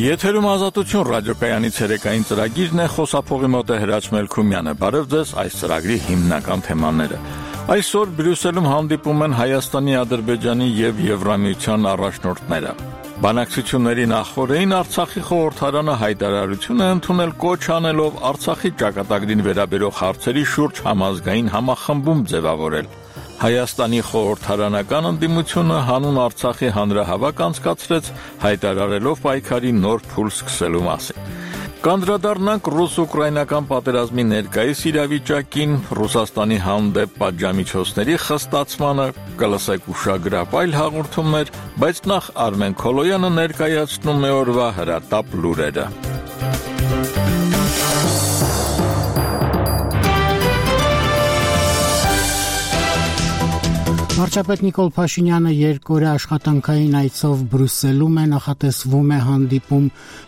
Եթերում Ազատություն ռադիոկայանի ցերեկային ծրագիրն է, խոսափողի մոտ է Հրաչ Մելքումյանը։ Բարև ձեզ, այս ծրագրի հիմնական թեմաները։ Այսօր Բրյուսելում հանդիպում են Հայաստանի, Ադրբեջանի եւ Եվրամիության առաջնորդները։ Բանակցությունների նախօրեին Արցախի խորհրդարանը հայտարարություն է ընդունել, կոչ անելով Արցախի ճակատագրին վերաբերող հարցերի շուրջ համազգային համախմբում ձևավորել։ Հայաստանի խորհրդարանական ընդդիմությունը հանուն Արցախի հանրահավաք անցկացրեց, հայտարարելով պայքարի նոր փուլ սկսելու մասին։ Կանդրադառնանք ռուս-ուկրաինական պատերազմի ներկայիս իրավիճակին, Ռուսաստանի հանդեպ պատժամիջոցների խստացմանը, կլսեք ուշագրավ այլ հաղորդումներ, բայց նախ Արմեն Քոլոյանը ներկայացնում է օրվա հրատապ լուրերը։ Վարչապետ Նիկոլ Փաշինյանը երկօրյա աշխատանքային այցով Բրյուսելում է, նախատեսվում է հանդիպում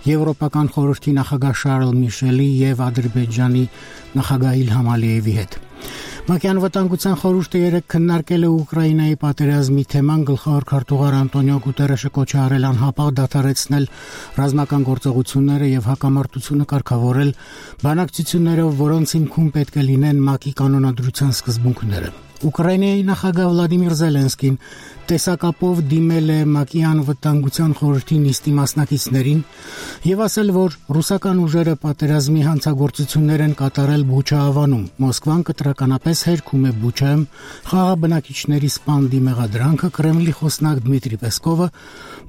Եվրոպական խորհրդի նախագահ Շարլ Միշելի եւ Ադրբեջանի նախագահ Իլհամ Ալիևի հետ։ ՄԱԿ-ի անվտանգության խորհուրդը երեկ քննարկել է Ուկրաինայի պատերազմի թեման, գլխավոր քարտուղար Անտոնիո Գուտերեշը կոչ է արել անհապաղ դադարեցնել ռազմական գործողությունները եւ հակամարտությունը կարգավորել բանակցություններով, որոնց հիմքում պետք է լինեն ՄԱԿ-ի կանոնադրության սկզբունքները։ Ուկրաինայի նախագահ Վլադիմիր Զելենսկին տեսակապով դիմել է ՄԱԿ-ի անվտանգության խորհրդի նիստի մասնակիցներին եւ ասել, որ ռուսական ուժերը պատերազմի հանցագործություններ են կատարել Բուչա-ավանում։ Մոսկվան կտրականապես հերքում է Բուչայում խաղաղաբնակիչների սպանդի մեղադրանքը։ Կրեմլի խոսնակ Դմիտրի Պեսկովը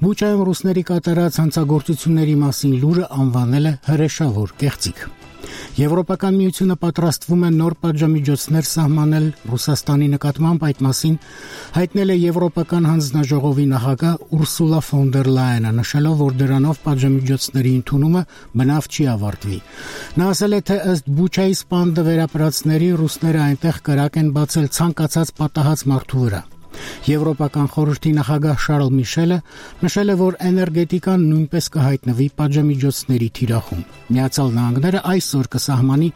Բուչայում ռուսների կատարած հանցագործությունների մասին լուրը անվանել է հրեշավոր կեղծիք։ Եվրոպական միությունը պատրաստվում է նոր պատժամիջոցներ սահմանել Ռուսաստանի նկատմամբ, այդ մասին հայտնել է Եվրոպական հանձնաժողովի նախագահ Ուրսուլա ֆոն դեր Լայենը, նշելով, որ դրանով պատժամիջոցների ընդունումը բնավ չի ավարտվի։ Նա ասել է, թե ըստ Բուչայի սպանդը վերապրածների ռուսները այնտեղ կրակ են բացել ցանկացած պատահած մարդու վրա։ Եվրոպական խորհրդի նախագահ Շարլ Միշելը նշել է, որ էներգետիկան նույնպես կհայտնվի պատժամիջոցների թիրախում։ Միացյալ Նահանգները այսօր կսահմանի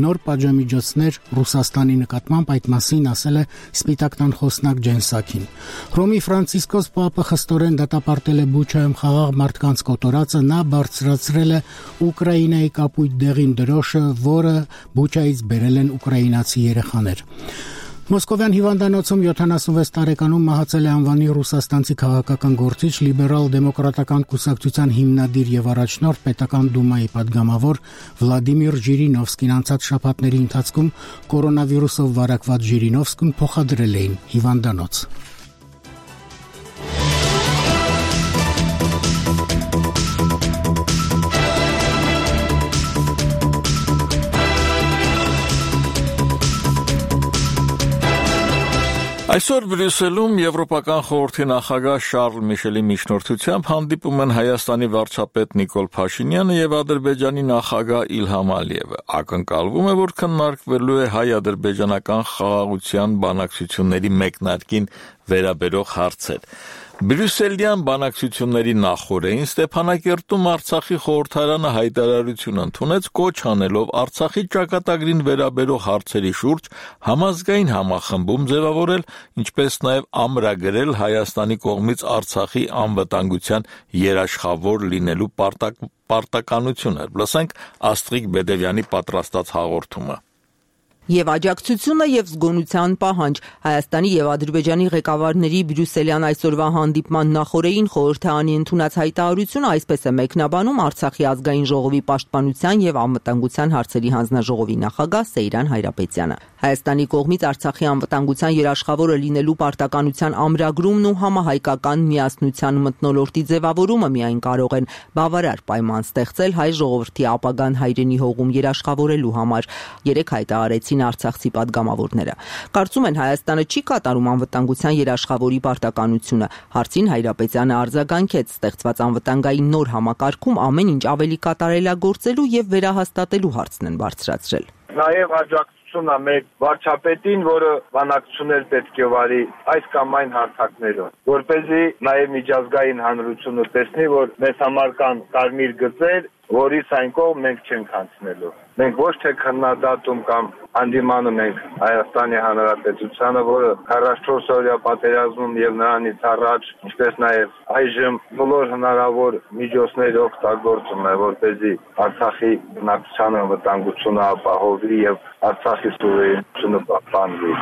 նոր պատժամիջոցներ Ռուսաստանի նկատմամբ, այդ մասին ասել է Սպիտակ տան խոսնակ Ջեն Սաքին։ Հռոմի Ֆրանցիսկոս Պապը խստորեն դատապարտել է Բուչայում խաղաղ մարդկանց կոտորածը, նա բարձրացրել է Ուկրաինայի կապույտ դեղին դրոշը, որը Բուչայից բերել են ուկրաինացի երեխաներ։ Մոսկովյան հիվանդանոցում 76 տարեկանում մահացել է անվանի ռուսաստանցի քաղաքական գործիչ, լիբերալ-դեմոկրատական կուսակցության հիմնադիր եւ առաջնորդ պետական դումայի падգամավոր Վլադիմիր Ժիրինովսկին անցած շաբաթների ընթացքում կորոնավիրուսով վարակված Ժիրինովսկուն փոխադրել էին հիվանդանոց։ Այսօր Բրյուսելում Եվրոպական խորհրդի նախագահ Շարլ Միշելի միջնորդությամբ հանդիպում են Հայաստանի վարչապետ Նիկոլ Փաշինյանը եւ Ադրբեջանի նախագահ Իլհամ Ալիևը։ Ակնկալվում է, որ քննարկվելու է հայ-ադրբեջանական խաղաղության բանակցությունների մեկնարկին վերաբերող հարցեր։ Բրյուսելյան բանակցությունների նախօրեին Ստեփանակերտում Արցախի խորհրդարանը հայտարարություն ընդունեց, կոչ անելով Արցախի ճակատագրին վերաբերող հարցերի շուրջ համազգային համախմբում ձևավորել, ինչպես նաև ամրագրել Հայաստանի կողմից Արցախի անվտանգության երաշխավոր լինելու պարտականությունը։ Լսենք Աստղիկ Բեդևյանի պատրաստած հաղորդումը։ Եվ աջակցությունը եւ զգոնության պահանջ Հայաստանի եւ Ադրբեջանի ղեկավարների Բրյուսելյան այսօրվա հանդիպման նախօրեին խորհրդարանի ընդունած հայտարարությունը այսպես է մեկնաբանում Արցախի ազգային ժողովի պաշտպանության եւ անվտանգության հարցերի հանձնաժողովի նախագահ Սեյրան Հայրապետյանը։ Հայաստանի կողմից Արցախի անվտանգության երաշխավորը լինելու պարտականության ամրագրումն ու համահայկական միասնության մթնոլորտի ձևավորումը միայն կարող են բավարար պայման ստեղծել հայ ժողովրդի ապագան հայրենի հողում երաշխավորելու համար։ Երեք հայտարարեցին արցախցի падգամավորները։ Կարծում են Հայաստանը չի կատարում անվտանգության երաշխավորի պարտականությունը։ Հարցին Հայրապետյանը արձագանքեց, ստեղծված անվտանգային նոր համակարգում ամեն ինչ ավելի կատարելագործելու եւ վերահաստատելու հարցն են բարձրացրել։ Նաեւ աջակցությունն է մեր վարչապետին, որը բանակցություններ պետք է վարի այս կամ այն հարթակներով, որպեսզի նաեւ միջազգային հանրությունը տեսնի, որ մեզ համար կան կարմիր գծեր որից այն կողմ մենք չենք անցնելու։ Մենք ոչ թե քննադատում կամ հանդիմանում ենք Հայաստանի Հանրապետությանը, որը 44 օրյա պատերազմում եւ նրանից առաջ, ինչպես նաեւ այժմ բոլոր հնարավոր միջոցներ օգտագործում է, որպեսզի Արցախի բնակչության անվտանգությունը ապահովի եւ Արցախի սուվերենությունը պահպանվի։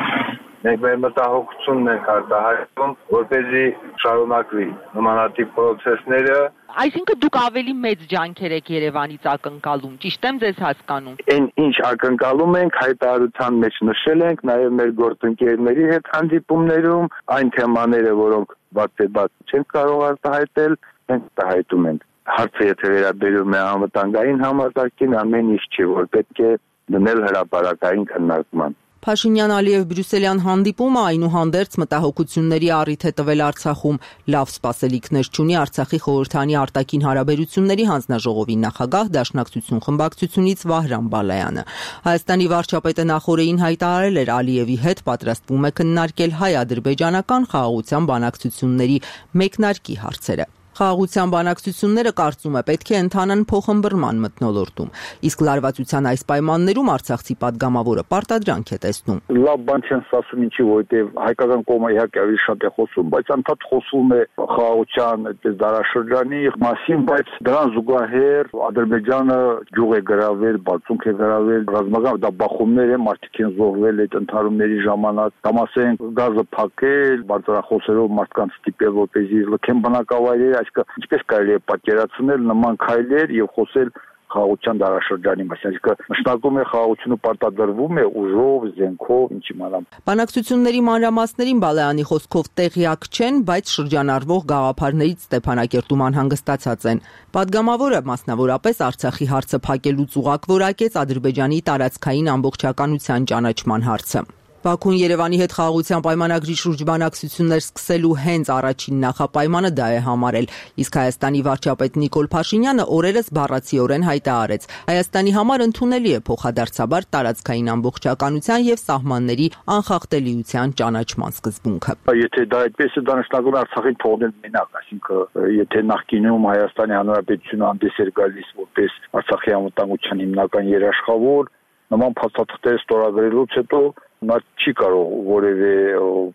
Մենք մեր մտահոգությունն ենք արտահայտում, որպեսզի շարունակվի նմանատիպ պրոցեսները։ Այսինքն դուք ավելի մեծ ջանքեր եք Երևանից ակնկալում, ճիշտ եմ ձեզ հասկանում։ Այն ինչ ակնկալում ենք, հայտարարության մեջ նշել ենք, նաև մեր գործընկերների հետ հանդիպումներում, այն թեմաները, որոնք բացեբաց չենք կարող արտահայտել, մենք արտահայտում ենք։ Հարցը եթե վերաբերում է անվտանգային համակարգին, ամեն ինչ չի, որ պետք է դնել հրապարակային քննարկման։ Փաշինյան-Ալիև-Բրյուսելյան հանդիպումը այնուհանդերձ մտահոգությունների առիթ է տվել Արցախում։ Լավ սպասելիքներ չունի Արցախի խորհրդանի արտաքին հարաբերությունների հանձնաժողովի նախագահ Դաշնակցություն խմբակցությունից Վահրամ Բալայանը։ Հայաստանի վարչապետը նախօրեին հայտարարել էր Ալիևի հետ պատրաստվում է քննարկել հայ-ադրբեջանական խաղաղության բանակցությունների մեկնարկի հարցերը։ Խաղաղության բանակցությունները կարծում է պետք է ընթանան փոխըմբռնման մթնոլորտում, իսկ լարվածության այս պայմաններում Արցախցի падգամավորը պարտադրանք է տեսնում։ Լավ բան չեն ասում ինչի, որովհետև հայկական կողմը իհարկե ավելի շատ է խոսում, բայց անդադ խոսում է խաղաղության այդպես դարաշրջանի մասին, բայց դրան զուգահեռ Ադրբեջանը ջուղ է գրավել, բացունք է գրավել, ռազմական դա բախումներ են, մարդիկ են զոհվել այդ ընդհարումների ժամանակ, կամ ասենք գազը փակել, բարձրախոսերով մարդկանց ստիպել, որպեսզի լքեն բնակավայրերը, ինչպես կարելի է պատկերացնել նման քայլեր եւ խոսել խաղաղության դարաշրջանի մասին, այսինքն նշանակում է խաղաղությունը պարտադրվում է ուժով, զենքով, ինչ իմանամ։ Բանակցությունների մանրամասներին Բալայանի խոսքով տեղյակ չեն, բայց շրջանառվող գաղափարներից Ստեփանակերտում անհանգստացած են։ Պատգամավորը մասնավորապես Արցախի հարցը փակելուց ուղղակ որակեց Ադրբեջանի տարածքային ամբողջականության ճանաչման հարցը։ Բաքուն Երևանի հետ խաղաղության պայմանագրի շուրջ բանակցություններ սկսելու հենց առաջին նախապայմանը դա է համարել, իսկ Հայաստանի վարչապետ Նիկոլ Փաշինյանը օրերս բառացիորեն հայտարարեց. Հայաստանի համար ընդունելի է փոխադարձաբար տարածքային ամբողջականության եւ սահմանների անխախտելիության ճանաչման սկզբունքը։ Եթե դա այդպես է, դա նշանակում է Արցախին թողնել մենակ, այսինքն եթե նախկինում Հայաստանի Հանրապետությունը հանդես էր գալիս որպես Արցախի անվտանգության հիմնական երաշխավոր, նման փաստաթղթեր ստորագրելուց հետո նա չի կարող որևէ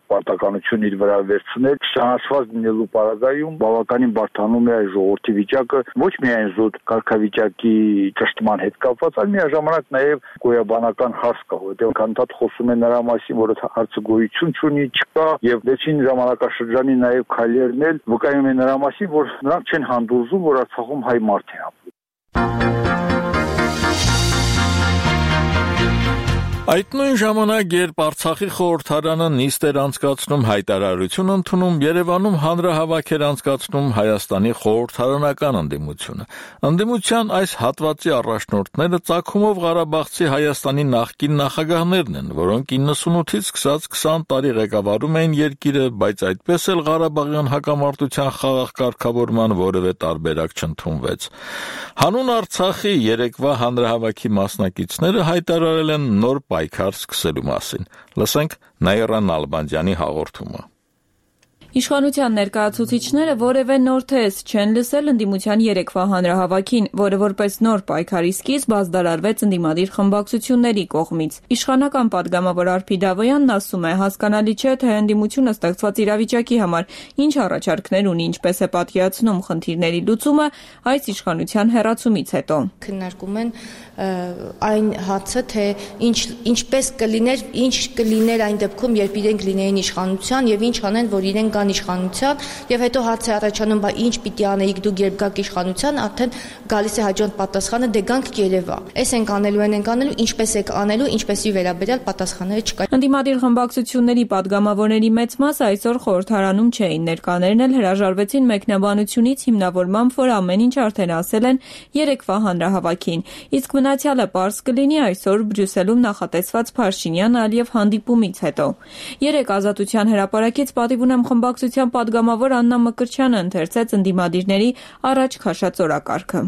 պարտականություն իր վրա վերցնել, ճանաչված լինելու պարագայում բավականին բարդանում է ժողովրդի վիճակը, ոչ միայն զուտ կարգավիճակի ճշտման հետ կապված, այլ միաժամանակ նաև գոյաբանական հարց կա, որովհետև անդադ խոսում է նրա մասին, որ հարցը գոյություն չունի, չկա, եւ դեցին ժամանակաշրջանի նաև քայլերն էլ վկայում են նրա մասին, որ նրանք չեն հանդուրժում, որ Արցախում հայ մարդ է ապրում։ Այդ նույն ժամանակ, երբ Արցախի խորհրդարանը նիստ էր անցկացնում, հայտարարություն ընդունում, Երևանում հանրահավաք էր անցկացնում Հայաստանի խորհրդարանական ընդդիմությունը։ Ընդդիմության այս հատվածի առաջնորդները ծագումով Ղարաբաղցի Հայաստանի նախկին նախագահներն են, որոնք 98-ից սկսած 20 տարի ղեկավարում էին երկիրը, բայց այդպես էլ Ղարաբաղյան հակամարտության խաղաղ կարգավորման որևէ տարբերակ չընդունվեց։ Հանուն Արցախի երեկվա հանրահավաքի մասնակիցները հայտարարել են նոր պայքար սկսելու մասին։ Լսենք Նաիրա Նալբանդյանի հաղորդումը։ Իշխանության ներկայացուցիչները որևէ նոր թեզ չեն լսել ընդդիմության երեկվա հանրահավաքին, որը որպես նոր պայքարի սկիզբ ազդարարվեց ընդդիմադիր խմբակցությունների կողմից։ Իշխանական падգամավոր Արփի Դավոյանն ասում է, հասկանալի չէ, թե ընդդիմությունը ստեղծված իրավիճակի համար ինչ առաջարկներ ունի, ինչպես է պատկերացնում խնդիրների լուծումը այս իշխանության հեռացումից հետո։ Քննարկում են այն հարցը, թե ինչպես կլիներ, ինչ կլիներ այն դեպքում, երբ իրենք լինեին իշխանության եւ ինչ անեն, որ իրենք իշխանության եւ հետո հարց է առաջանում, բա ինչ պիտի անեիք դուք երբ գաք իշխանության, արդեն գալիս է հաջորդ պատասխանը, դե գանք Երևա։ Էս ենք անելու, ինչպես եք անելու, ինչպեսի վերաբերյալ պատասխանները չկա։ Ընդդիմադիր խմբակցությունների падգամավորների մեծ մասը այսօր խորհրդարանում չէին, ներկաներն էլ հրաժարվեցին մեկնաբանությունից հիմնավորմամբ, որ ամեն ինչ արդեն ասել են երեկվա հանրահավաքին, իսկ մնացյալը պարզ կլինի այսօր Բրյուսելում նախատեսված Փաշինյան-Ալիև հանդիպումից հետո։ Երեք Ազատության հրապարակից պատիվ ունեմ խմբակցության падգամավոր Աննա Մկրտչյանը ընթերցեց ընդդիմադիրների առաջ քաշած օրակարգը։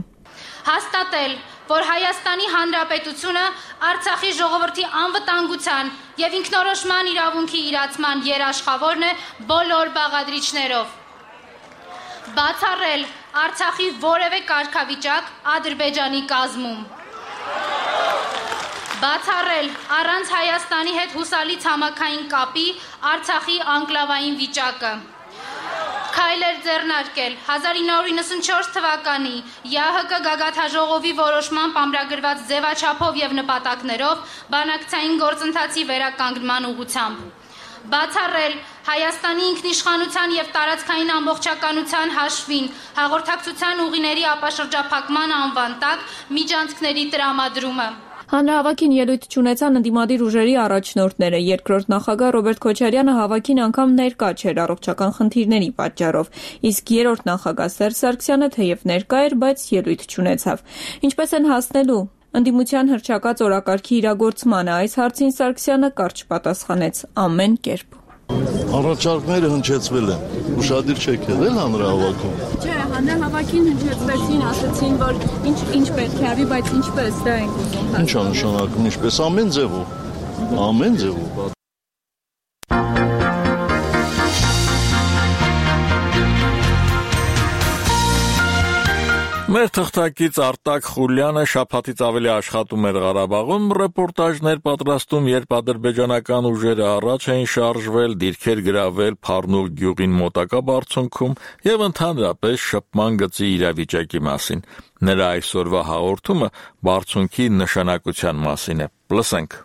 Հաստատել, որ Հայաստանի Հանրապետությունը Արցախի ժողովրդի անվտանգության եւ ինքնորոշման իրավունքի իրացման երաշխավորն է բոլոր բաղադրիչներով։ Բացառել Արցախի որևէ կարգավիճակ Ադրբեջանի կազմում։ Բացառել առանց Հայաստանի հետ հուսալի ցամաքային կապի Արցախի անկլավային վիճակը։ Քայլեր ձեռնարկել 1994 թվականի ՀՀԿ գագաթաժողովի որոշմամբ ամրագրված ձևաչափով եւ նպատակներով բանակցային գործընթացի վերականգնման ուղղությամբ։ Բացառել Հայաստանի ինքնիշխանության եւ տարածքային ամբողջականության հաշվին հաղորդակցության ուղիների ապաշրջափակման անվան տակ միջանցքների տրամադրումը։ Հանրահավաքին ելույթ չունեցան ընդդիմադիր ուժերի առաջնորդները։ Երկրորդ նախագահ Ռոբերտ Քոչարյանը հավաքին անգամ ներկա չէր առողջական խնդիրների պատճառով, իսկ երրորդ նախագահ Սերժ Սարգսյանը թեև ներկա էր, բայց ելույթ չունեցավ։ Ինչպես են հասնելու ընդդիմության հռչակած օրակարգի իրագործմանը, այս հարցին Սարգսյանը կարճ պատասխանեց՝ ամեն կերպ։ Առաջարկները հնչեցվել են, ուշադիր չեք եղել հանրահավաքում։ Չէ, հանրահավաքին հնչեցվեցին, ասացին, որ ինչ պետք է արվի, բայց ինչպես, դա ենք ուզում։ Ինչ է նշանակում, ինչպես ամեն ձևով։ Մեր թղթակից Արտակ Խուլյանը շաբաթից ավելի աշխատում էր Ղարաբաղում, ռեպորտաժներ պատրաստում, երբ ադրբեջանական ուժերը առաջ էին շարժվել, դիրքեր գրավել Փառնուղ գյուղին մոտակա բարձունքում եւ ընդհանրապես շփման գծի իրավիճակի մասին։ Նրա այսօրվա հաղորդումը բարձունքի նշանակության մասին է։ Լսենք։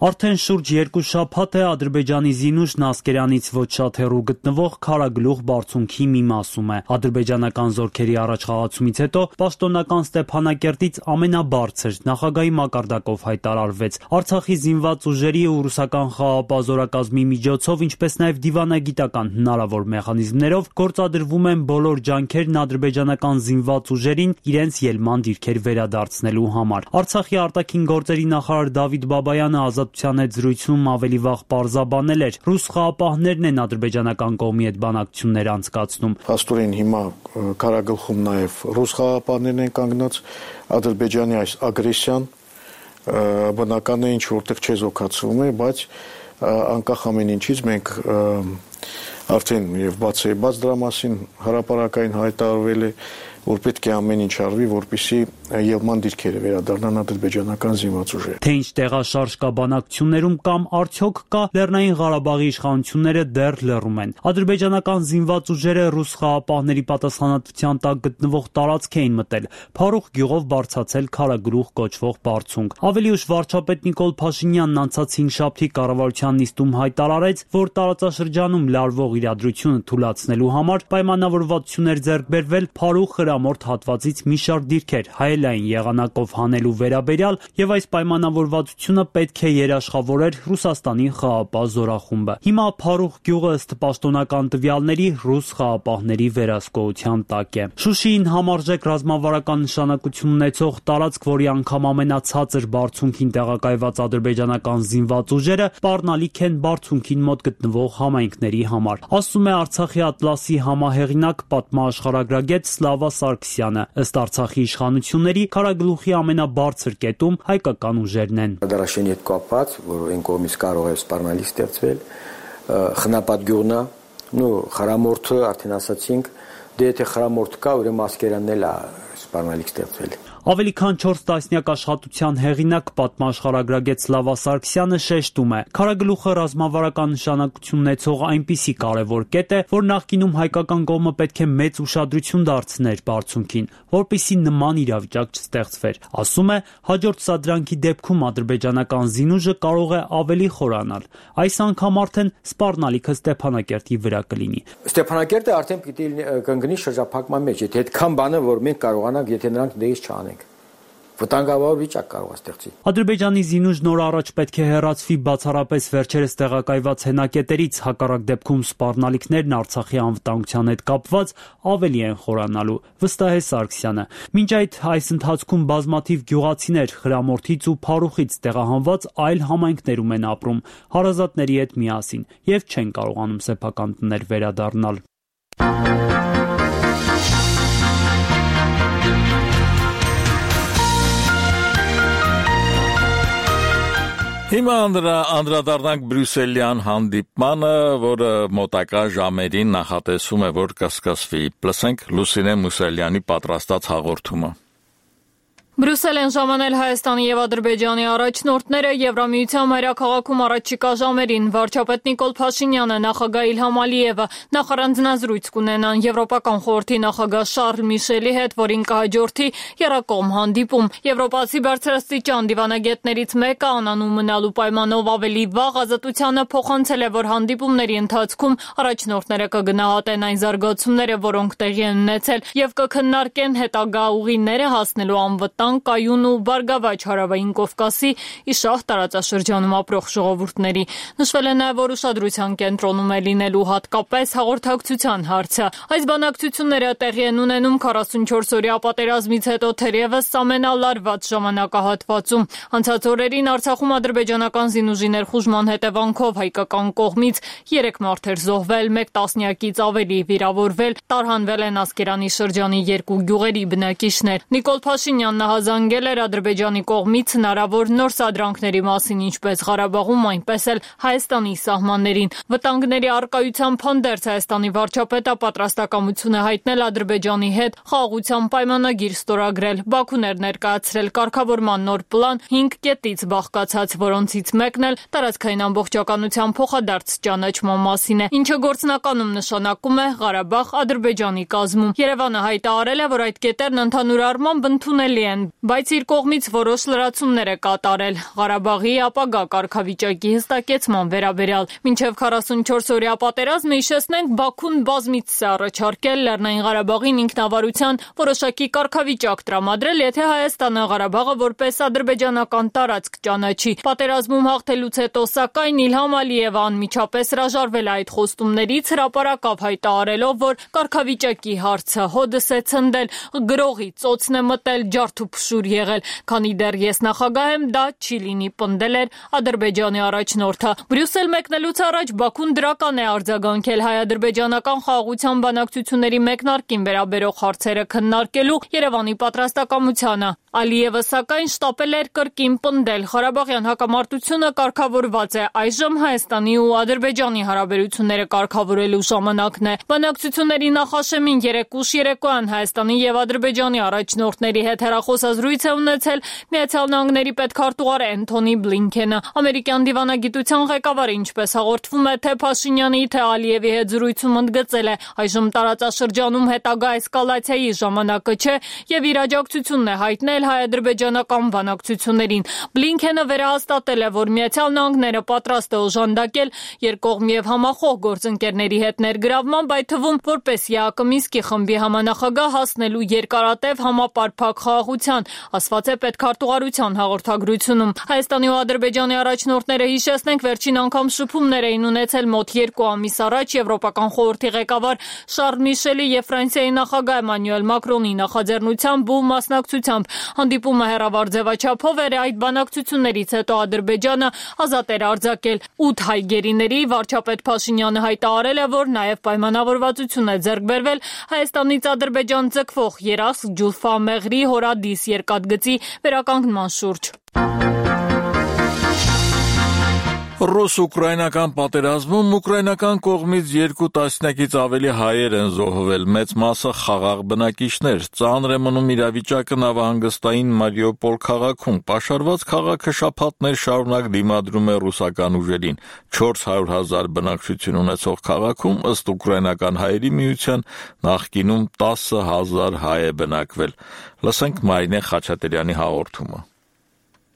Արդեն շուրջ 2 շաբաթ է Ադրբեջանի զինուժն Ասկերյանից ոչ շատ հեռու գտնվող Քարագլուխ բարձունքի մի մասում է։ Ադրբեջանական զորքերի առաջխաղացումից հետո պաշտոնական Ստեփանակերտից ամենաբարձր նախագահի մակարդակով հայտարարվեց։ Արցախի զինված ուժերի ու ռուսական խաղաղապահ զորակազմի միջոցով, ինչպես նաև դիվանագիտական հնարավոր մեխանիզմներով գործադրվում են բոլոր ջանքերն ադրբեջանական զինված ուժերին իրենց ելման դիրքեր վերադարձնելու համար։ Արցախի արտաքին գործերի նախարար Դավիթ Բաբայանը հետ զրույցում ավելի վաղ պարզաբանել էր, ռուս խաղապահներն են ադրբեջանական կողմի հետ բանակցություններ անցկացնում։ Փաստորեն հիմա Քարագլխում նաև ռուս խաղապահներն են կանգնած, Ադրբեջանի այս ագրեսիան բնական է ինչ որտեղ չեզոքացվում է, բայց անկախ ամեն ինչից մենք արդեն եւ բաց դրա մասին հրապարակային հայտարարվել է, որ պետք է ամեն ինչ արվի, որպեսզի ելման դիրքերը վերադառնան ադրբեջանական զինված ուժերը։ Թե ինչ տեղաշարժ կա բանակցություններում կամ արդյոք կա, Լեռնային Ղարաբաղի իշխանությունները դեռ լռում են։ Ադրբեջանական զինված ուժերը ռուս խաղապահների պատասխանատվության տակ գտնվող տարածք էին մտել, Փարուխ գյուղով բարձրացել Քարագլուխ կոչվող բարձունք։ Ավելի ուշ վարչապետ Նիկոլ Փաշինյանն անցած 5-շաբթի կառավարության նիստում հայտարարեց, որ տարածաշրջանում լարվող իրադրությունը թույլատնելու համար պայմանավորվածություններ ձեռք բերվել Փարուխ հրամորդ հատվածից մի շարք դիրքեր հայելային եղանակով հանելու վերաբերյալ եւ այս պայմանավորվածությունը պետք է երաշխավորեր Ռուսաստանի խաղապահ զորախումբը։ Հիմա Փարուխ գյուղը ըստ պաշտոնական տվյալների ռուս խաղապահների վերահսկողության տակ է։ Շուշիին համարժեք ռազմավարական նշանակություն ունեցող տարածք, որի անգամ ամենացածր բարձունքին տեղակայված ադրբեջանական զինված ուժերը սպառնալիք են բարձունքին մոտ գտնվող համայնքների համար, ասում է Արցախի Ատլասի համահեղինակ պատմաաշխարհագրագետ Սլավա Սարգսյանը։ Ըստ Արցախի իշխանությունների Քարագլուխի ամենաբարձր կետում հայկական ուժերն են։ Դարաշենի հետ կապված, որ այն կողմից կարող է սպառնալիք ստեղծվել, խնապատ գյուղն է, խրամորթը արդեն ասացինք, դե եթե խրամորթ կա, ուրեմն Ասկերյանն էլ է սպառնալիք ստեղծվել։ Ավելի քան 4 տասնյակ աշխատության հեղինակ պատմաաշխարհագրագետ Սլավա Սարգսյանը շեշտում է. Քարագլուխը ռազմավարական նշանակություն ունեցող այնպիսի կարևոր կետ է, որ նախկինում հայկական կողմը պետք է մեծ ուշադրություն դարձներ բարձունքին, որպեսզի նման իրավիճակ չստեղծվեր։ Ասում է, հաջորդ սադրանքի դեպքում ադրբեջանական զինուժը կարող է ավելի խորանալ։ Այս անգամ արդեն սպառնալիքը Ստեփանակերտի վրա կլինի։ Ստեփանակերտը արդեն պիտի կընկնի շրջափակման մեջ, եթե այդքան բանը, որ մենք կարողանանք, եթե նրանք դեից չանեն, վտանգավոր վիճակ կարող է ստեղծի։ Ադրբեջանի զինուժն օր առաջ պետք է հեռացվի բացառապես վերջերս տեղակայված հենակետերից, հակառակ դեպքում սպառնալիքներն Արցախի անվտանգության հետ կապված ավելի են խորանալու, վստահ է Սարգսյանը։ Մինչ այս ընթացքում բազմաթիվ գյուղացիներ Խրամորթից ու Փարուխից տեղահանված այլ համայնքներում են ապրում, հարազատների հետ միասին եւ չեն կարողանում սեփական տներ վերադառնալ։ Հիմա անդրադառնանք Բրյուսելյան հանդիպմանը, որը մոտակա ժամերին նախատեսվում է, որ կսկսվի։ Լսենք Լուսինե Մուսալյանի պատրաստած հաղորդումը։ Բրյուսել են ժամանել Հայաստանի եւ Ադրբեջանի առաջնորդները Եվրամիության մայրաքաղաքում առաջիկա ժամերին վարչապետ Նիկոլ Փաշինյանը, նախագահ Իլհամ Ալիևը նախարանձնազրույց կունենան Եվրոպական խորհրդի նախագահ Շարլ Միշելի հետ, որին կհաջորդի եռակողմ հանդիպում։ Եվրոպացի բարձրաստիճան դիվանագետներից մեկը անանուն մնալու պայմանով ավելի վաղ Ազատությանը փոխանցել է, որ հանդիպումների ընթացքում առաջնորդները կգնահատեն այն զարգացումները, որոնք տեղի են ունեցել, եւ կքննարկեն հետագա ուղիները հասնելու անվտանգ կայուն ու բարգավաճ հարավային Կովկասի Իշահ տարածաշրջանում ապրող ժողովուրդների։ Նշվել է նաև, որ ուշադրության կենտրոնում է լինելու հատկապես հաղորդակցության հարցը։ Այս բանակցությունները տեղի են ունենում 44-օրյա պատերազմից հետո թերևս ամենալարված ժամանակահատվածում։ Անցած օրերին Արցախում ադրբեջանական զինուժի ներխուժման հետևանքով հայկական կողմից 3 մարդ էր զոհվել, 1 տասնյակից ավելի վիրավորվել, տարհանվել են Ասկերանի շրջանի 2 գյուղերի բնակիչներ։ Նիկոլ Փաշինյանն հազանգել էր Ադրբեջանի կողմից հնարավոր նոր սադրանքների մասին, ինչպես Ղարաբաղում, այնպես էլ Հայաստանի սահմաններին։ Վտանգների առկայությամբ հանդերձ Հայաստանի վարչապետը պատրաստակամություն է հայտնել Ադրբեջանի հետ խաղաղության պայմանագիր ստորագրել։ Բաքուն էր ներկայացրել կարգավորման նոր պլան 5 կետից բաղկացած, որոնցից մեկն էլ տարածքային ամբողջականության փոխադարձ ճանաչման մասին է, ինչը գործնականում նշանակում է Ղարաբաղ Ադրբեջանի կազմում։ Երևանը հայտարարել է, որ այդ կետերն ընդհանուր առմամբ ընդունելի են, բայց իր կողմից որոշ լրացումներ է կատարել Ղարաբաղի ապագա կարգավիճակի հստակեցման վերաբերյալ։ Մինչև 44-օրյա պատերազմը, հիշեցնենք, Բաքուն բազմիցս է առաջարկել Լեռնային Ղարաբաղին ինքնավարության որոշակի կարգավիճակ տրամադրել, եթե Հայաստանը Ղարաբաղը որպես ադրբեջանական տարածք ճանաչի։ Պատերազմում հաղթելուց հետո, սակայն, Իլհամ Ալիևը անմիջապես հրաժարվել է այդ խոստումներից, հրապարակավ հայտարարելով, որ կարգավիճակի հարցը հոդս է ցնդել, գրողի ծոցն է մտել, ջարդ ու փշուր եղել, քանի դեռ ես նախագահ եմ, դա չի լինի, պնդել էր Ադրբեջանի առաջնորդը։ Բրյուսել մեկնելուց առաջ Բաքուն դրական է արձագանքել հայ-ադրբեջանական խաղաղության բանակցությունների մեկնարկին վերաբերող հարցերը քննարկելու Երևանի պատրաստակամությանը։ Ալիևը սակայն շտապել էր կրկին պնդել, Ղարաբաղյան հակամարտությունը կարգավորված է, այժմ Հայաստանի ու Ադրբեջանի հարաբերությունները կարգավորելու ժամանակն է։ Բանակցությունների նախաշեմին երեկուշ երեկոյան Հայաստանի եւ Ադրբեջանի առաջնորդների հետ հեռախոսազրույց է ունեցել Միացյալ Նահանգների պետքարտուղար Էնթոնի Բլինքենը։ Ամերիկյան դիվանագիտության ղեկավարը, ինչպես հաղորդվում է, թե Փաշինյանի, թե Ալիևի հետ զրույցում ընդգծել է, այժմ տարածաշրջանում հետագա էսկալացիայի ժամանակը չէ եւ իր աջակցությունն է հայտնել հայ-ադրբեջանական բանակցություններին։ Բլինքենը վերահաստատել է, որ Միացյալ Նահանգները պատրաստ է օժանդակել երկկողմ եւ համախոհ գործընկերների հետ ներգրավման, այդ թվում որպես ԵԱԿ Մինսկի խմբի համանախագահ հասնելու երկարատև համապարփակ խաղաղության, ասված է պետքարտուղարության հաղորդագրությունում։ Հայաստանի ու Ադրբեջանի առաջնորդները, հիշեցնենք, վերջին անգամ շփումներ էին ունեցել մոտ 2 ամիս առաջ Եվրոպական խորհրդի ղեկավար Շարլ Միշելի եւ Ֆրանսիայի նախագահ Էմանուել Մակրոնի նախաձեռնությամբ ու մասնակցությամբ։ Հանդիպումը հեռավար ձևաչափով էր, այդ բանակցություններից հետո Ադրբեջանը ազատ էր արձակել 8 հայ գերիների, վարչապետ Փաշինյանը հայտարարել է, որ նաև պայմանավորվածություն է ձեռք բերվել Հայաստանից Ադրբեջան ձգվող Երասկ, Ջուլֆա, Մեղրի, Հորադիս երկաթգծի վերականգնման շուրջ։ Ռուս-ուկրաինական պատերազմում ուկրաինական կողմից 2 տասնյակից ավելի հայեր են զոհվել, մեծ մասը խաղաղ բնակիչներ։ Ծանր է մնում իրավիճակը նավահանգստային Մարիուպոլ քաղաքում։ Պաշարված քաղաքը շաբաթներ շարունակ դիմադրում է ռուսական ուժերին։ 400,000 բնակչություն ունեցող քաղաքում, ըստ ուկրաինական հայերի միության, նախկինում 10,000 հայ է բնակվել։ Լսենք Մարինե Խաչատրյանի հաղորդումը։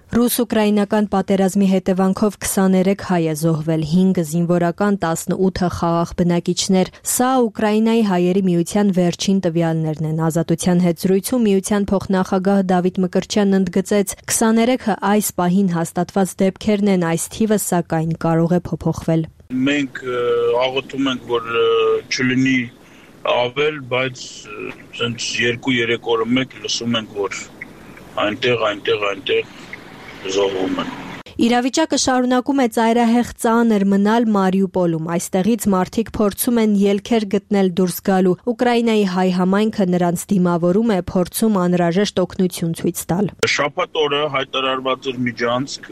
Ռուս-ուկրաինական պատերազմի հետևանքով 23 հայ է զոհվել, 5 զինվորական, 18 խաղաղ բնակիչներ։ Սա Ուկրաինայի հայերի միության վերջին տվյալներն են։ Ազատության հետ զրույցում միության փոխնախագահ Դավիթ Մկրտչյանն ընդգծեց, 23-ը այս պահին հաստատված դեպքերն են, այս թիվը սակայն կարող է փոփոխվել։ Մենք աղոթում ենք, որ չլինի ավել, բայց ցենց 2-3 օրը մեկ լսում ենք, որ այնտեղ զոհվում են։ Իրավիճակը շարունակում է ծայրահեղ ծանր մնալ Մարիուպոլում։ Այստեղից մարդիկ փորձում են ելքեր գտնել դուրս գալու։ Ուկրաինայի հայ համայնքը նրանց դիմավորում է, փորձում անհրաժեշտ օգնություն ցույց տալ։ Շաբաթ օրը հայտարարված էր Միջանցք,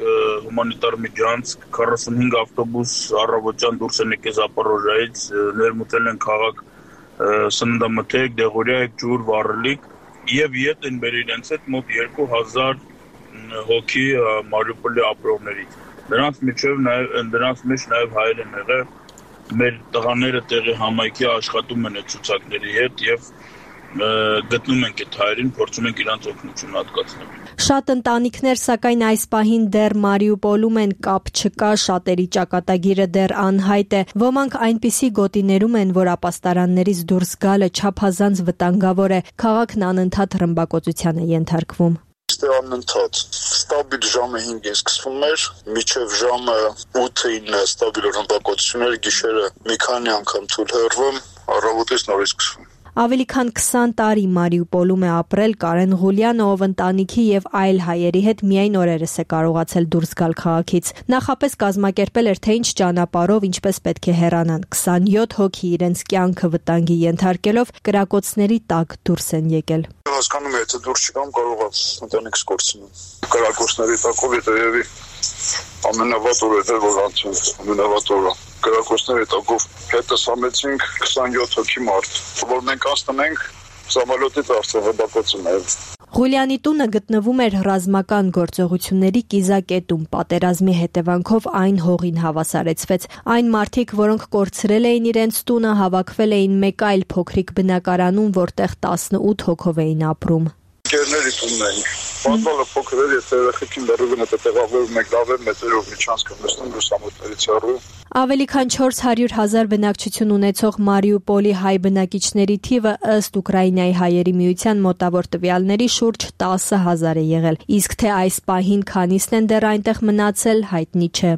հումանիտար Միջանցք, 45 ավտոբուս առավոտյան դուրս են եկել Զապորոժիայից, ներմուծել են քաղաք սննդամթերք, դեղորայք, ջուր, վառելիք եւ ետ են բերել իրենց հետ մոտ 2000 հոգի Մարիուպոլի ապրողներից։ Դրանց մեջ նաև հայեր են եղել, մեր տղաները տեղի համայնքի աշխատում են այդ ցուցակների հետ եւ գտնում ենք այդ հայերին, փորձում ենք իրանց օգնություն հատկացնել։ Շատ ընտանիքներ սակայն այս պահին դեռ Մարիուպոլում են, կապ չկա, շատերի ճակատագիրը դեռ անհայտ է։ Ոմանք այնպիսի գոտիներում են, որ ապաստարաններից դուրս գալը չափազանց վտանգավոր է։ Քաղաքն անընդհատ ռմբակոծության է ենթարկվում։ Անընդհատ ստաբիլ ժամը 5-ին սկսվում էր, մինչև ժամը 8-9 ստաբիլ ռմբակոծություն էր, գիշերը մի քանի անգամ թույլ հեռվում, առավոտից նորից սկսվում։ Ավելի քան 20 տարի Մարիուպոլում է ապրել Կարեն Ղուլյանը, ով ընտանիքի եւ այլ հայերի հետ միայն օրերս է կարողացել դուրս գալ քաղաքից։ Նախապես կազմակերպել էր, թե ինչ ճանապարհով ինչպես պետք է հեռանան։ 27 հոգի իրենց կյանքը վտանգի ենթարկելով կրակոցների տակ դուրս են եկել։ Հասկանում եմ, եթե դուրս չգամ, կարող է ընտանիքս կորցնել։ Կրակոցների տակով երևի ամենավատ օրը էր, որ անցել, ամենավատ օրը։ Կրակոցների տակով հետս համեցինք 27 հոգի մարդ, որ մենք անցնենք Սամալյոտից Արցախ բակոցում էր։ Ղուլյանի տունը գտնվում էր ռազմական գործողությունների կիզակետում։ Պատերազմի հետևանքով այն հողին հավասարեցվեց։ Այն մարդիկ, որոնք կորցրել էին իրենց տունը, հավաքվել էին մեկ այլ փոքրիկ բնակարանում, որտեղ 18 հոգով էին ապրում։ Կերների տունն էին։ Պատվալը փոքր էր, եթե երեխեքին դեռևս հետը տեղավորում եք լավ մետրով միջանցքը նստում լուսամուտներից հեռու։ Ավելի քան 400,000 բնակչություն ունեցող Մարիուպոլի հայ բնակիչների թիվը ըստ Ուկրաինայի հայերի միության մոտավոր տվյալների շուրջ 10,000 է եղել, իսկ թե այս պահին քանիսն են դեռ այնտեղ մնացել, հայտնի չէ։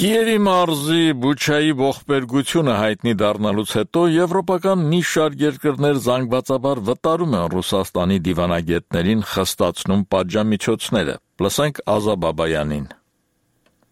Կիևի մարզի Բուչայի ողբերգությունը հայտնի դառնալուց հետո եվրոպական մի շարք երկրներ զանգվածաբար վտարում են Ռուսաստանի դիվանագետներին խստացնում պատժամիջոցները։ Լսենք Ազա Բաբայանին։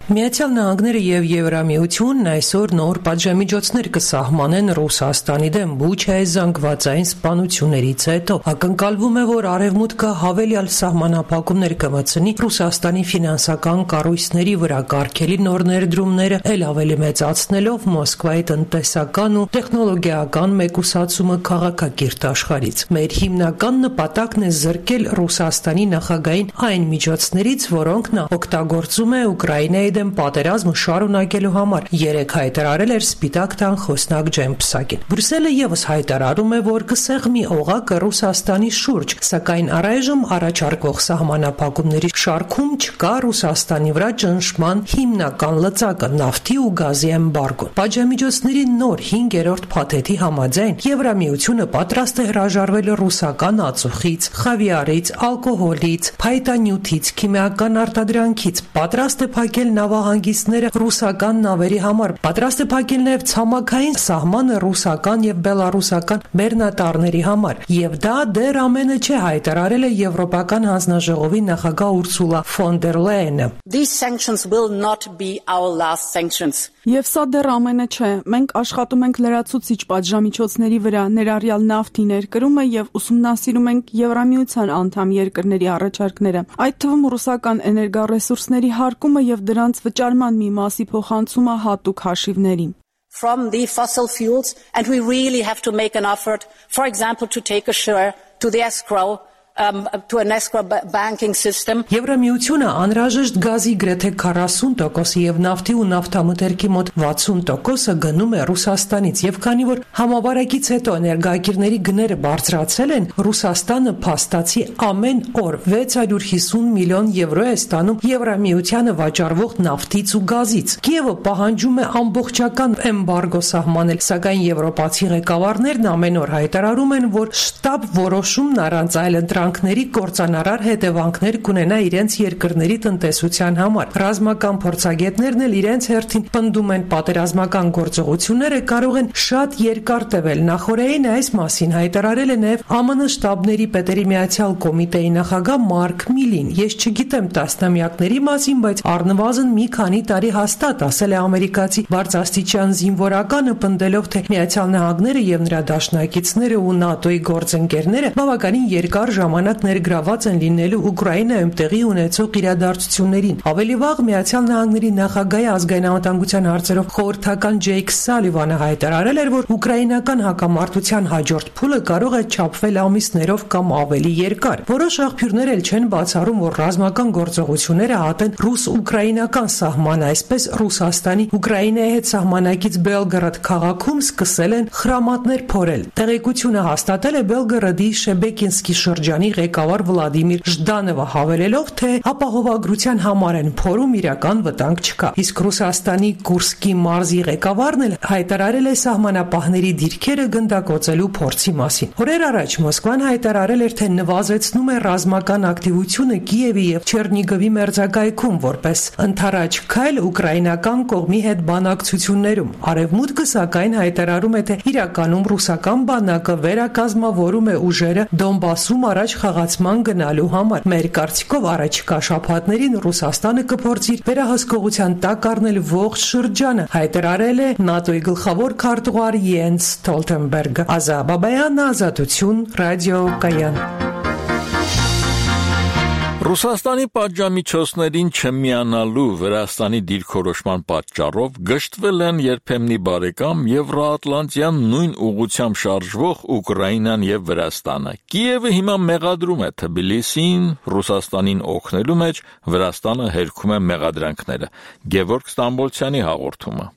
Միացյալ Նահանգները եւ Եվրամիությունն այսօր նոր պատժամիջոցներ կսահմանեն Ռուսաստանի դեմ Բուչայի զանգվածային սպանություններից հետո։ Ակնկալվում է, որ Արևմուտքը հավելյալ սահմանափակումներ կմտցնի Ռուսաստանի ֆինանսական կառույցների վրա, կարգելի նոր ներդրումները ել ավելի մեծացնելով Մոսկվայի տնտեսական ու տեխնոլոգիական մեկուսացումը քաղաքակիրթ աշխարհից։ Մեր հիմնական նպատակն է զրկել Ռուսաստանի նախագահին այն միջոցներից, որոնք նա օգտագործում է Ուկրաինայի դեմ պատերազմը շարունակելու համար, երեկ հայտարարել էր Սպիտակ տան խոսնակ Ջեն Պսակին։ Բրյուսելը եւս հայտարարում է, որ կսեղմի օղակը Ռուսաստանի շուրջ, սակայն առայժմ առաջարկվող սահմանափակումների շարքում չկա Ռուսաստանի վրա ճնշման հիմնական լծակը՝ նավթի ու գազի էմբարգոն։ Պատժամիջոցների նոր 5-րդ փաթեթի համաձայն Եվրամիությունը պատրաստ է հրաժարվել ռուսական ածուխից, խավիարից, ալկոհոլից, փայտանյութից, քիմիական արտադրանքից, պատրաստ է փակել նավահանգիստները ռուսական նավերի համար, պատրաստ է փակել նաև ցամաքային սահմանը ռուսական եւ բելարուսական բեռնատարների համար, եւ դա դեռ ամենը չէ, հայտարարել է Եվրոպական հանձնաժողովի նախագահ Ուրսուլա ֆոն դեր Լայենը։ These sanctions will not be our last sanctions. Եվ սա դեռ ամենը չէ, մենք աշխատում ենք լրացուցիչ պատժամիջոցների վրա, ներառյալ նավթի ներկրումը եւ ուսումնասիրում ենք Եվրամիության անդամ երկրների առաջարկները, այդ թվում ռուսական էներգառեսուրսների հարկումը եւ դրանց վճարման մի մասի փոխանցումը հատուկ հաշիվների։ From the fossil fuels, and we really have to make an effort, for example, to take a share to the escrow to an escrow banking system. Եվրամիությունը անհրաժեշտ գազի գրեթե 40% եւ նավթի ու նավթամթերքի մոտ 60% գնում է Ռուսաստանից եւ քանի որ համավարակից հետո էներգակիրների գները բարձրացել են, Ռուսաստանը փաստացի ամեն օր 650 միլիոն եվրո է ստանում Եվրամիությանը վաճառվող նավթից ու գազից։ Կիևը պահանջում է ամբողջական էմբարգո սահմանել, սակայն եվրոպացի ղեկավարներն ամեն օր հայտարարում են, որ շտաբ որոշումն առանց այլ ապրանքների կործանարար հետևանքներ կունենա իրենց երկրների տնտեսության համար։ Ռազմական փորձագետներն էլ իրենց հերթին պնդում են, պատերազմական գործողությունները կարող են շատ երկար տևել։ Նախորդին այս մասին հայտարարել է նաև ԱՄՆ շտաբների պետերի միացյալ կոմիտեի նախագահ Մարկ Միլին։ Ես չգիտեմ տասնամյակների մասին, բայց առնվազն մի քանի տարի հաստատ, ասել է ամերիկացի բարձրաստիճան զինվորականը, պնդելով, թե Միացյալ Նահանգները եւ նրա դաշնակիցները ու ՆԱՏՕ-ի գործընկերները բավականին երկար ժամանակ ներգրաված են լինելու Ուկրաինայում տեղի ունեցող իրադարձություններին։ Ավելի վաղ Միացյալ Նահանգների նախագահի ազգային անվտանգության հարցերով խորհրդական Ջեյք Սալիվանը հայտարարել էր, որ ուկրաինական հակամարտության հաջորդ փուլը կարող է չափվել ամիսներով կամ ավելի երկար։ Որոշ աղբյուրներ էլ չեն բացառում, որ ռազմական գործողությունները հատեն ռուս-ուկրաինական սահմանը, այսպես Ռուսաստանի Ուկրաինայի հետ սահմանակից Բելգորոդ քաղաքում սկսել են խրամատներ փորել։ Տեղեկությունը հաստատել է Բելգորոդի Շեբեկինսկի շրջանի ղեկավար Վլադիմիր Ժդանովը, հավելելով, թե ապահովագրության համար են փորում, իրական վտանգ չկա։ Իսկ Ռուսաստանի Կուրսկի մարզի ղեկավարն էլ հայտարարել է սահմանապահների դիրքերը գնդակոծելու փորձի մասին։ Օրեր առաջ Մոսկվան հայտարարել էր, թե նվազեցնում է ռազմական ակտիվությունը Կիևի եւ Չեռնիգովի մերձակայքում, որպես ընդառաջ քայլ ուկրաինական կողմի հետ բանակցություններում։ Արևմուտքը սակայն հայտարարում է, թե իրականում ռուսական բանակը վերակազմավորում է ուժերը Դոնբասում առաջ խաղացման գնալու համար։ Մեր կարծիքով առաջիկա շաբաթներին Ռուսաստանը կփորձի վերահսկողության տակ առնել ողջ շրջանը, հայտարարել է ՆԱՏՕ-ի գլխավոր քարտուղար Յենս Ստոլտենբերգը։ Ազա Բաբայան, Ազատություն, Ռադիո Կայան։ Ռուսաստանի պատժամիջոցներին չմիանալու Վրաստանի դիրքորոշման պատճառով գժտվել են երբեմնի բարեկամ Եվրոատլանտյան նույն ուղղությամբ շարժվող Ուկրաինան եւ Վրաստանը։ Կիևը հիմա մեղադրում է Թբիլիսին Ռուսաստանին օգնելու մեջ, Վրաստանը հերքում է մեղադրանքները։ Գևորգ Ստամբոլցյանի հաղորդումը։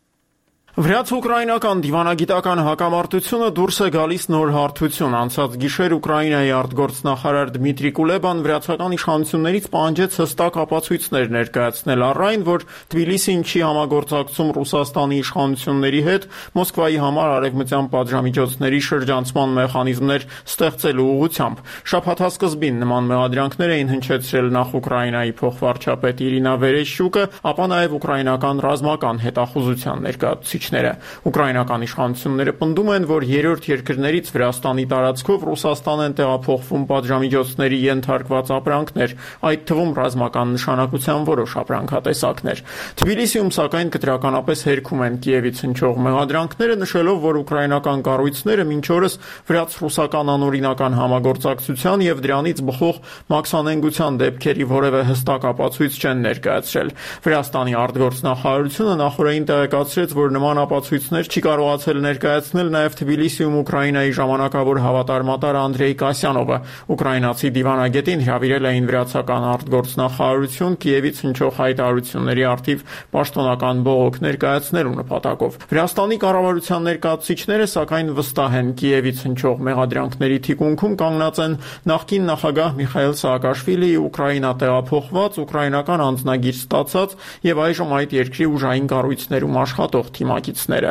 Վրաց-ուկրաինական դիվանագիտական հակամարտությունը դուրս է գալիս նոր հարթություն։ Անցած գիշեր Ուկրաինայի արտգործնախարար Դմիտրի Կուլեբան վրացական իշխանություններից պահանջեց հստակ ապացույցներ ներկայացնել առ այն, որ Թբիլիսին չի համագործակցում Ռուսաստանի իշխանությունների հետ Մոսկվայի համար արևմտյան պատժամիջոցների շրջանցման մեխանիզմներ ստեղծելու ուղղությամբ։ Շաբաթասկզբին նման մեղադրանքներ էին հնչեցրել նախ Ուկրաինայի փոխվարչապետ Իրինա Վերեշյուկը, ապա նաև ուկրաինական ռազմական հետախուզության ներկայացուցիչ Ուկրաինական իշխանությունները պնդում են, որ երրորդ երկրներից Վրաստանի տարածքով Ռուսաստան են տեղափոխվում պատժամիջոցների ենթարկված ապրանքներ, այդ թվում ռազմական նշանակության որոշ ապրանքատեսակներ։ Թբիլիսիում սակայն կտրականապես հերքում են Կիևից հնչող մեղադրանքները, նշելով, որ ուկրաինական կառույցները մինչ օրս վրաց-ռուսական անօրինական համագործակցության եւ դրանից բխող մաքսանենգության դեպքերի որևէ հստակ ապացույց չեն ներկայացրել։ Վրաստանի արտգործնախարարությունը նախորդին տեղեկացրեց, որ նման ապացույցներ չի կարողացել ներկայացնել նաև Թբիլիսիում Ուկրաինայի ժամանակավոր հավատարմատար Անդրեյ Կասյանովը։ Ուկրաինացի դիվանագետին հրավիրել էին վրացական արտգործնախարարություն Կիևից հնչող հայտարարությունների առթիվ պաշտոնական բողոք ներկայացնելու նպատակով։ Վրաստանի կառավարության ներկայացուցիչները սակայն վստահ են, Կիևից հնչող մեղադրանքների թիկունքում կանգնած են նախկին նախագահ Միխայել Սաակաշվիլիի Ուկրաինա տեղափոխված, ուկրաինական անձնագիր ստացած եւ այժմ այդ երկրի ուժային կառույցներում աշխատող թիմակիցները։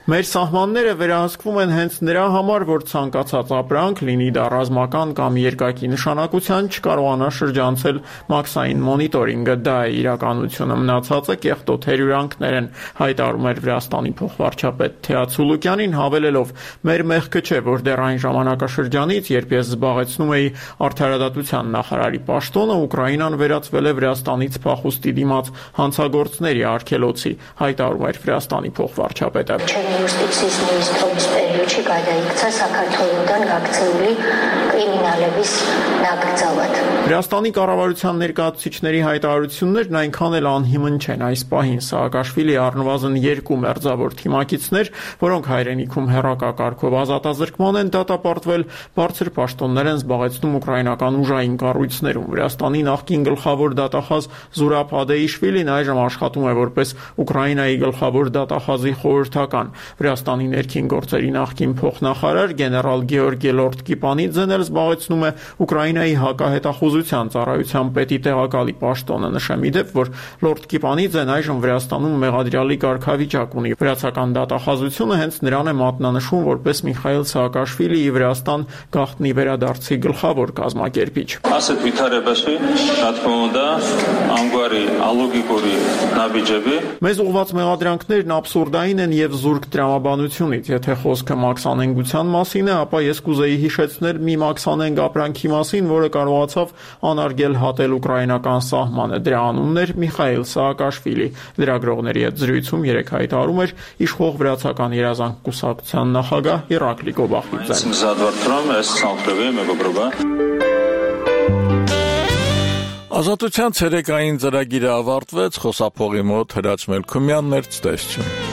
Մեր սահմանները վերահսկվում են հենց նրա համար, որ ցանկացած ապրանք, լինի դա ռազմական կամ երկակի նշանակության, չկարողանա շրջանցել մաքսային մոնիտորինգը։ Դա է իրականությունը, մնացածը կեղտոտ հերյուրանքներ են, հայտարարում էր Վրաստանի փոխվարչապետ Թեա Ցուլուկյանին, հավելելով. «Մեր մեղքը չէ, որ դեռ այն ժամանակաշրջանից, երբ ես զբաղեցնում էի արդարադատության նախարարի պաշտոնը, Ուկրաինան վերածվել է Վրաստանից փախուստի դիմաց հանցագործների արգելոցի», հայտարարում էր Վրաստանի փոխվարչապետը։ Վրաստանի կառավարության ներկայացուցիչների հայտարարություններն այնքան էլ անհիմն չեն այս պահին։ Սաակաշվիլի առնվազն 2 մերձավոր թիմակիցներ, որոնք հայրենիքում հեռակակարգով ազատազրկման են դատապարտվել, բարձր պաշտոններ են զբաղեցնում ուկրաինական ուժային կառույցներում։ Վրաստանի նախկին գլխավոր դատախազ Զուրաբ Ադեիշվիլին այժմ աշխատում է որպես Ուկրաինայի գլխավոր դատախազի խորհրդական։ Վրաստանի ներքին գործերի նախկին նախկին փոխնախարար գեներալ Գեորգի Լորդկիպանիձեն էլ զբաղեցնում է Ուկրաինայի հակահետախուզության ծառայության պետի տեղակալի պաշտոնը։ Նշեմ իդեպ, որ Լորդկիպանիձեն այժմ Վրաստանում մեղադրյալի կարգավիճակ ունի։ Վրացական դատախազությունը հենց նրան է մատնանշում որպես Միխայիլ Սաակաշվիլիի Վրաստան գաղտնի վերադարձի գլխավոր կազմակերպիչ։ Մեզ ուղված մեղադրանքներն աբսուրդային են եւ զուրկ տրամաբանությունից։ Եթե խոսքը մաքսանենգության մասին է, ապա ես կուզեի հիշեցնել մի մաքսանենգ ապրանքի մասին, որը կարողացավ անարգել հատել ուկրաինական սահմանը։ Դրա անունն էր Միխայիլ Սաակաշվիլի։ Լրագրողների հետ զրույցում երեկ հայտարարում էր իշխող վրացական երազանք կուսակցության նախագահ Իրակլի Գոբախիձեն։ Ազատության ցերեկային ծրագիրը ավարտվեց, խոսափողի մոտ Հրաչ Մելքումյանն էր, ցտեսություն։